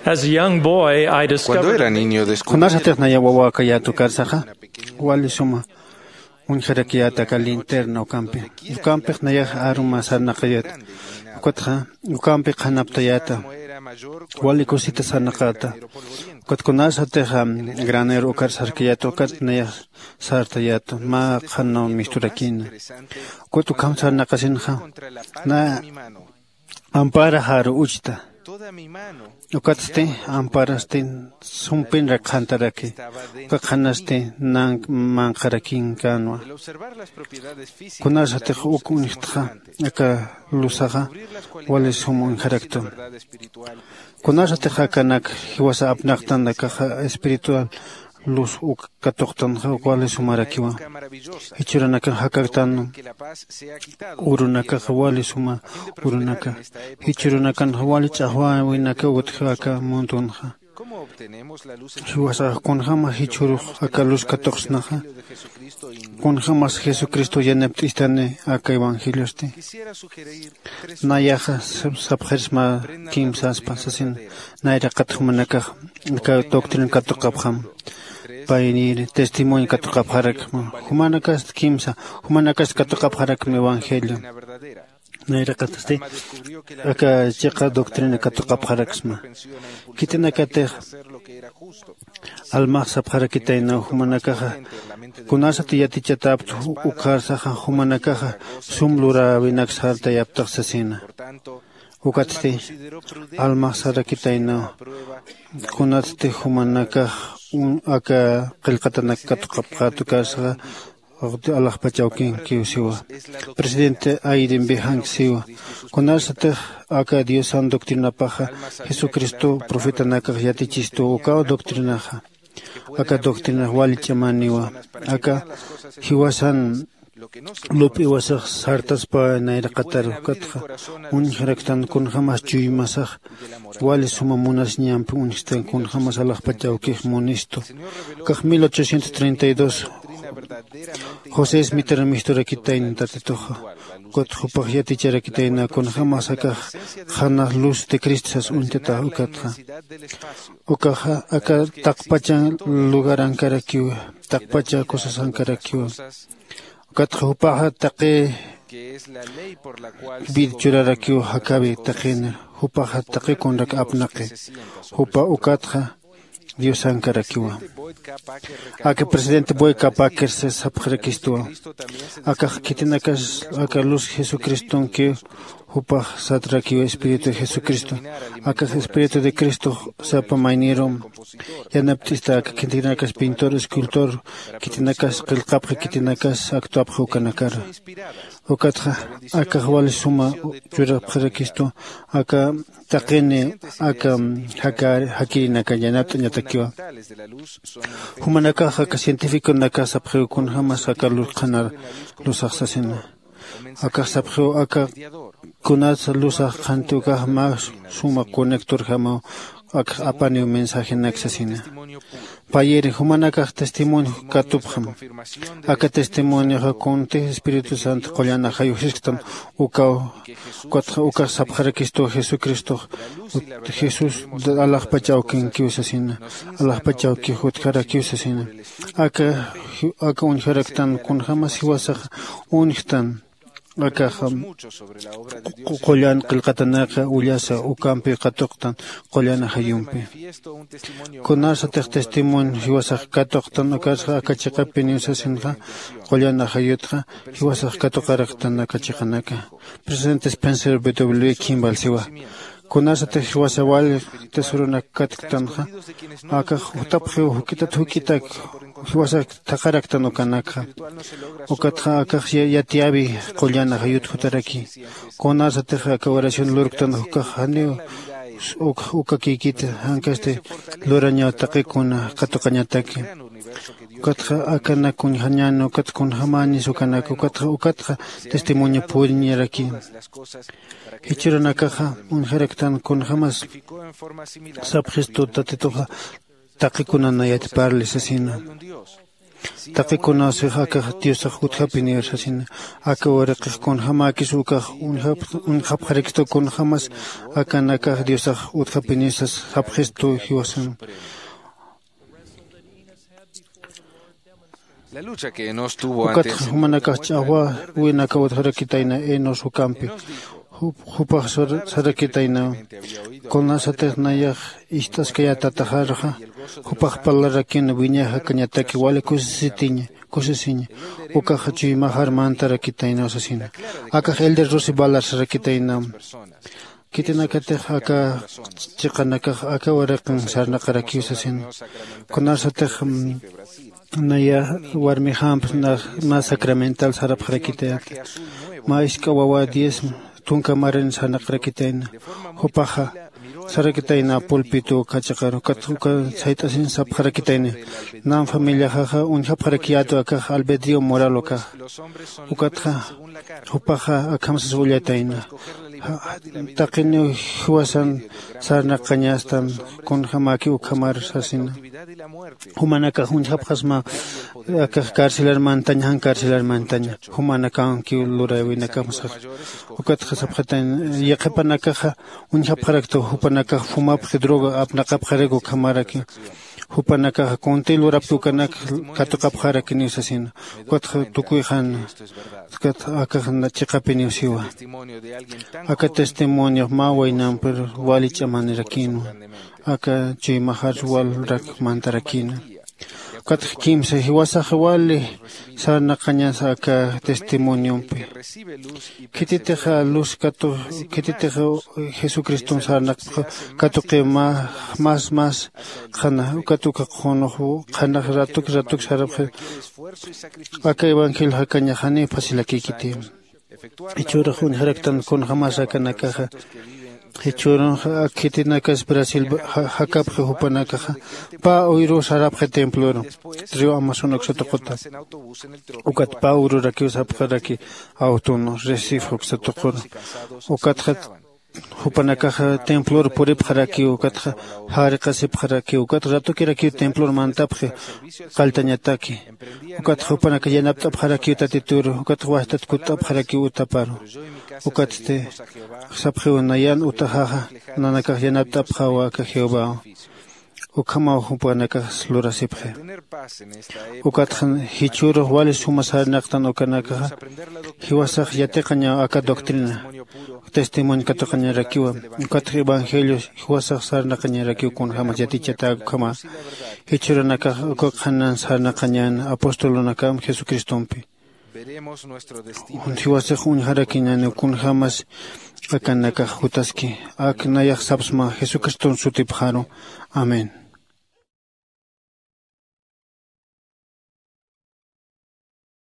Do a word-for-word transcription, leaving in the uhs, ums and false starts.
As a young boy, I discovered Cuando era niño, descubrí kunasatix naya wawakayat ukarsaxa wali suma uñjarakiyat aka linterna ukampi. Ukampix nayax aruma sarnaqayat. Ukatxa ukampi qhanaptayata. Wali kusita sarnaqata. Ukat kunasatix granero ukar sarkayat ukat nayax sartayat mä qhanaw misturakina. Ukat ukham sarnaqasinxa na ampara jaru uchta. Ukatsti amparasti sumpin rakxantaraki. Uka qhanasti nank manqharakinkänwa. Kunasatix uk uñjtxa aka luzaxa wali sum uñjaraktu. Kunasatix akanak jiwasa apnaqtan akaxa espiritual luz uk katuqtanxa wali sumarakiwa. Jichhüranakan jakaktan urunakaxa wali suma urunaka. Jichhürunakanxa wali ch'axwäwinaka utji aka mundunxa. Jiwasax kunjämas jichhürux aka luz katuqsnaxa, kunjämas jesucristo yanapt'istani aka evangeliosti. Nayaxa sapxirsma kimsaspa sasin. Nayraqat jumanakax aka doctrina katuqapxam. Paynir testimonio katuqapxarakma. Jumanakast kimsa jumanakast katuqapxarakma evangelio. Nayraqatasti aka chiqa doctrina katuqapxaraksma. Khitinakatix almax sapxarakitaynaw jumanakaxa kunasat yatichatäpt ukharsaxa jumanakaxa sum luräwinak sartayaptax sasina. Ukatsti almax sarakitaynaw kunatsti jumanakax aka qillqatanak katuqapxät ukarsaxa alaxpachawkinkiw siwa. Presidente aiden bejank siwa kunasatix aka diosan doctrinapaxa jesucristo profetanakax yatichistuw ukaw doctrinaxa. Aka doctrinax wali ch'amaniwa aka jiwasan lup'iwasax sartaspa nayraqatar ukatxa uñjaraktan kunjämas chuymasax wali suma munasiñampi uñjstan kunjämas alaxpach awkix munistu. Ukax mil ochocientos treinta y dos josé esmitar misturakitayna tatituxa. Ukat jupax yaticharakitayna kunjämas akax qhanax luz de cristo sas uñtatax ukatxa. Ukaxa aka taqpacha lugarankarakiwa. Taqpacha cosasankarakiwa. Ukatxa jupaxa taqi vid churarakiwa jakawi taqinir jupaxa taqi kunrak apnaqi. Jupa ukatxa diosankarakiwa. Aka presidente boy capaquerse sapxarakistuwa. Akax khitinakas aka luz jesucristonkiw jupax satrakiw espíritu de jesucristo. Akax espíritu de cristo sapa maynirum yanapt'ista aka khitinakas pintor escultor khitinakas qillqapxi khitinakas actuapxi ukanakara. Ukatxa akax wali suma churapxarakistu aka taqini aka jakirinaka yanapt'añatakiwa. Jumanakax aka cientificonakax sapxiw kunjämas aka luz qhanar luzax sasina. Akax sapxiw aka kunatsa luzax qhanti ukax mä suma conectorjamaw akax apaniw mensajenak sasina. Payiri jumanakax testimonio katupxam. Aka testimonioxa kunti espíritu santo qullanaxayuj sisktan ukaw. Ukatxa ukax sapxarakistuw jesucristox jesús alaxpach awkinkiw sasina. Alaxpach awkix utjarakiw sasina. Aka aka uñjaraktan kunjämas jiwasaxa uñjtan. Akaxa qullan qillqatanaka ullasa ukampi katuqtan qullan ajayumpi. Kunasatix testimonio jiwasax katuqtan ukarsa aka chiqapiniw sasinxa qullan ajayutxa jiwasax katuqaraktan aka chiqanaka. Presidente spencer w kimball siwa kunasatix jiwasa wali tesoronakkatktanxa akax jutapxiw juk'itat juk'itak jiwasak thaqaraktan ukanakxa. Ukatxa akax yatiyäwi qullan ajayut jutaraki. Kunasatix aka oración lurktan ukax janiw ukakïkiti jankasti lurañaw taqi kuna katuqañataki. Ukatxa akanak uñjañäni ukat kunjämänis ukanaka ukatxa ukatxa testimonio puriñaraki. Jichhürunakaxa uñjaraktan kunjämas sapxistu tatituxa taqi kuna nayat parli sasina. Taqi kunasix akax diosax utjapinir sasina. Aka waraqix kunjämäkis ukax uñjapxarakstu kunjämas akanakax diosax utjapinir sas sapxistu jiwasan. Ukatxa jumanakax ch'axwäwinaka utjarakitayna enos ukampi. Jupax sarakitayna kunasatix nayax ist'askayätataxarxa jupax parlarakin wiñay jakañataki wali kusisitiña kusisiña. Ukaxa chuymaxar mantarakitaynaw sasina. Akax elder rusi balar sarakitaynam. Khitinakatix aka chiqanakax aka waraqin sarnaqarakiw sasina. Kunasatix naya warmixamp na sacramental sarapxarakitayäta. Mä isk'a wawa diez tunka marin sarnaqarakitayna. Jupaxa sarakitayna pulpito uka chiqaru ukat uka sayt'asin sapxarakitayna. Nan familiaxaxa uñjapxarakiyätu akax albedrio moral ukaxa. Ukatxa jupaxa akham sas ullatayna. Taqiniw jiwasan sarnaqañastan kunjämäki ukhamar sasina. Jumanakax uñjapxasma akax carcelar mantaña jan carcelar mantaña. Jumanakankiw luräwinakamas. Ukatxa sapxatayna yaqhipanakaxa uñjapxaraktu jupanakax fumapxi droga apnaqapxarak ukhamarakiw. Jupanakaxa kuntï lurapki ukanak katuqapxarakiniw sasina. Ukatxa tukuyxan ukat akax chiqapiniw siwa. Aka testimoniox mä waynampir wali ch'amanirakinwa. Aka chuymaxar walrak mantarakina. Ukatxa kimsa jiwasax wali sarnaqañas aka testimoniompi. Khititix luz katu khititix jesucriston sarnaqpxa katuqiw mä mas mas qhana ukat uka qhunux qhanax ratuk ratuk sarapxi. Aka evangelio jakañaxaniw facilakïkiti. Jichhürux uñjaraktan kunjämas akanakaxa jichhürunxa ak khitinakas brasil jakapxi jupanakaxa pä uyruw sarapxi temploru río amazon uksa tuquta. Ukat pä uyrurakiw sapxaraki awtun recife uksa tuquru. Ukatxa jupanakaxa templor puripxarakiw ukatxa jariqasipxarakiw ukat ratukirakiw templor mantapxi qalltañataki. Ukatxa jupanakax yanapt'apxarakiw tatituru ukatxa wajtat kutt'apxarakiw utaparu. Ukatsti sapxiw nayan utaxaxa nanakax yanapt'apxawa aka jehovaw. Ukhamaw jupanakax lurasipxi. Ukatxa jichhürux wali suma sarnaqtan ukanakaxa jiwasax yatiqañaw aka doctrina testimonio katuqañarakiwa. Ukatxa evangelio jiwasax sarnaqañarakiw kunjämas yatichatäk ukhama. Jichhürunakax uka qhanan sarnaqañän apostolunakam jesucristompi. Jiwasix uñjarakiñäniw kunjämas akanakax jutaski. Ak nayax sapsma jesucriston sutipxaru. Amén.